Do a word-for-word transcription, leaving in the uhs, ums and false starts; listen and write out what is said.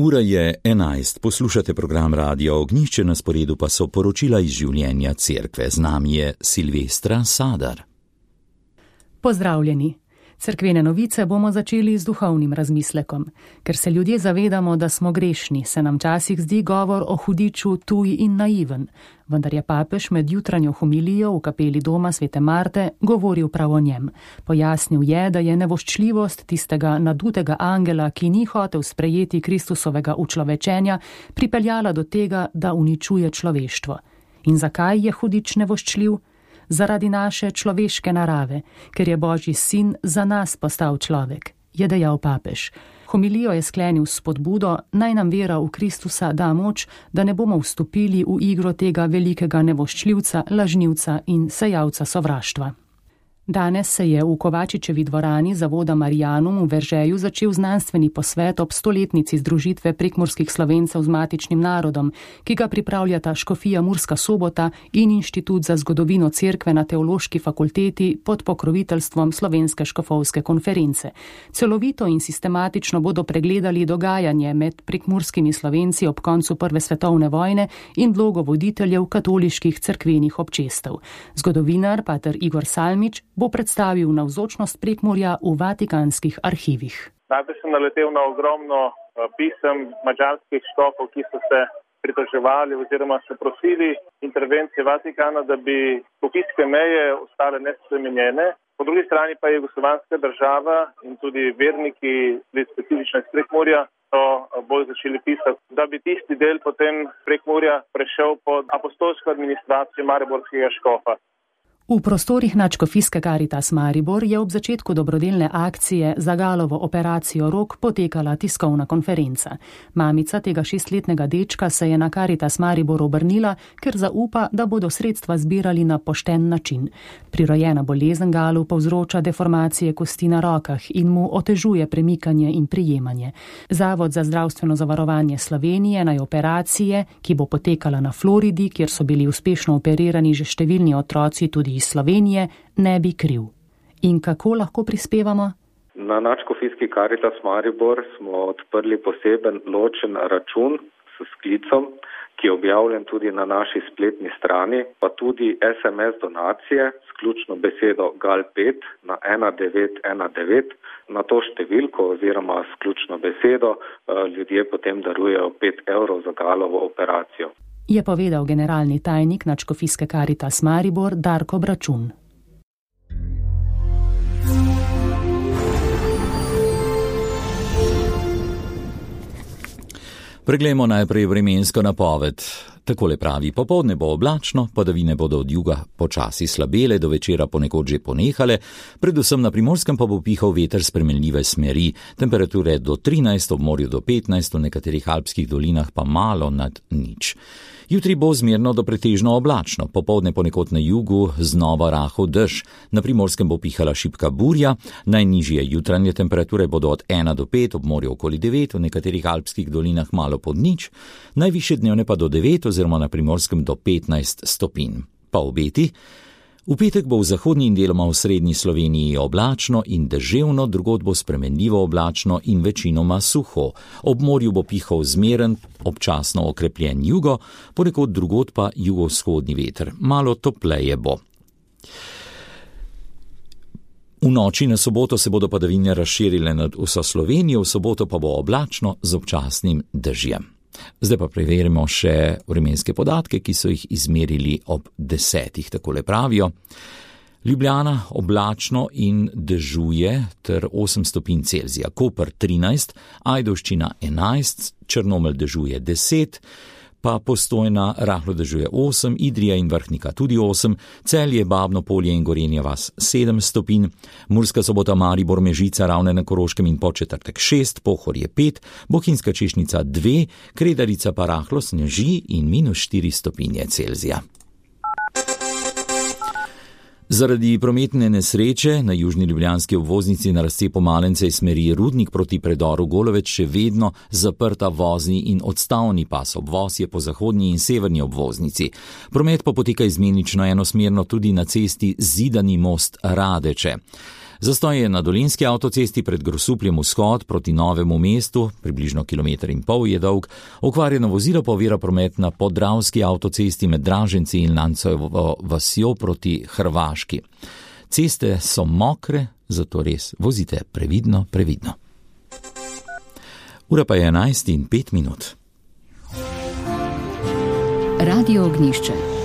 Ura je enajst, poslušate program Radia Ognjišče, na sporedu pa so poročila iz življenja cerkve. Z nami je Silvestra Sadar. Pozdravljeni. Cerkvene novice bomo začeli z duhovnim razmislekom. Ker se ljudje zavedamo, da smo grešni, se nam časih zdi govor o hudiču tuj in naiven. Vendar je papež med jutranjo homilijo v kapeli doma svete Marte govoril prav o njem. Pojasnil je, da je nevoščljivost tistega nadutega angela, ki ni hotel sprejeti Kristusovega učlovečenja, pripeljala do tega, da uničuje človeštvo. In zakaj je hudič nevoščljiv? Zaradi naše človeške narave, ker je Božji sin za nas postal človek, je dejal papež. Homilijo je sklenil s spodbudo, naj nam vera v Kristusa da moč, da ne bomo vstopili v igro tega velikega nevoščljivca, lažnivca in sejalca sovraštva. Danes se je v Kovačičevi dvorani zavoda Marianum v Veržeju začel znanstveni posvet ob stoletnici združitve prekmurskih Slovencev z matičnim narodom, ki ga pripravljata Škofija Murska Sobota in Inštitut za zgodovino cerkve na Teološki fakulteti pod pokroviteljstvom Slovenske škofovske konference. Celovito in sistematično bodo pregledali dogajanje med prekmurskimi Slovenci ob koncu Prve svetovne vojne in vlogo voditeljev katoliških cerkvenih občestev. Zgodovinar pater Igor Salmič bo predstavil navzočnost Prekmurja v vatikanskih arhivih. Najprej sem naletel na ogromno pisem madžarskih škofov, ki so se pritoževali oziroma so prosili intervencije Vatikana, da bi pokitske meje ostale nespremenjene. Po drugi strani pa je jugoslovanska država in tudi verniki, specifično iz Prekmurja, so bolj začeli pisati, da bi tisti del potem Prekmurja prešel pod apostolsko administracijo mariborskega škofa. V prostorih nadškofijske Karitas Maribor je ob začetku dobrodelne akcije za Galovo operacijo rok potekala tiskovna konferenca. Mamica tega šestletnega dečka se je na Karitas Maribor obrnila, ker zaupa, da bodo sredstva zbirali na pošten način. Prirojena bolezen Galu povzroča deformacije kosti na rokah in mu otežuje premikanje in prijemanje. Zavod za zdravstveno zavarovanje Slovenije naj operacije, ki bo potekala na Floridi, kjer so bili uspešno operirani že številni otroci tudi iz Slovenije, ne bi kriv. In kako lahko prispevamo? Na nadškofijski Karitas Maribor smo odprli poseben ločen račun s sklicom, ki je objavljen tudi na naši spletni strani, pa tudi es em es donacije s ključno besedo G A L pet na ena devet ena devet. Na to številko oziroma s ključno besedo ljudje potem darujejo pet evrov za Galovo operacijo. Je povedal generalni tajnik nadškofijske Karitas Maribor Darko Bračun. Preglejmo najprej vremensko napoved. Takole pravi: popoldne bo oblačno, padavine bodo od juga počasi slabele, do večera ponekod že ponehale, predvsem na Primorskem pa bo pihal veter spremenljive smeri, temperature do trinajst, ob morju do petnajst, v nekaterih alpskih dolinah pa malo nad nič. Jutri bo zmerno do pretežno oblačno, popoldne ponekod na jugu znova rahel dež, na Primorskem bo pihala šibka burja, najnižje jutranje temperature bodo od ena do pet, ob morju okoli devet, v nekaterih alpskih dolinah malo pod nič, najvišje dnevne pa do devet oziroma na Primorskem do petnajst stopinj. Pa obeti: v petek bo v zahodnji in deloma v srednji Sloveniji oblačno in deževno, drugod bo spremenljivo oblačno in večinoma suho. Ob morju bo pihal zmeren, občasno okrepljen jugo, ponekod drugod pa jugovzhodni veter. Malo topleje bo. V noči na soboto se bodo padavine razširile nad vso Slovenijo, v soboto pa bo oblačno z občasnim dežjem. Zdaj pa preverimo še vremenske podatke, ki so jih izmerili ob desetih, takole pravijo. Ljubljana oblačno in dežuje ter osem stopinj Celzija, Koper trinajst, Ajdovščina enajst, Črnomelj dežuje deset, pa Postojna rahlo dežuje osem, Idrija in Vrhnika tudi osem, Celje, Babno Polje in Gorenja vas sedem stopinj, Murska Sobota, Maribor, Mežica, Ravne na Koroškem in Podčetrtek šest, Pohorje pet, Bohinjska Češnica dve, Kredarica pa rahlo sneži in minus štiri stopinje Celzija. Zaradi prometne nesreče na južni ljubljanski obvoznici na razcepu Malence iz smeri Rudnik proti predoru Goloveč še vedno zaprta vozni in odstavni pas. Obvoz je po zahodnji in severni obvoznici. Promet pa poteka izmenično enosmerno tudi na cesti Zidani most Radeče. Zastoj je na Dolenjski avtocesti pred Grosupljem vzhod proti Novemu mestu, približno kilometer in pol je dolg. Okvarjeno vozilo pa ovira promet na Podravski avtocesti med Draženci in Lancovo vasjo proti Hrvaški. Ceste so mokre, zato res vozite previdno, previdno. Ura pa je enajst in pet minut. Radio Ognjišče.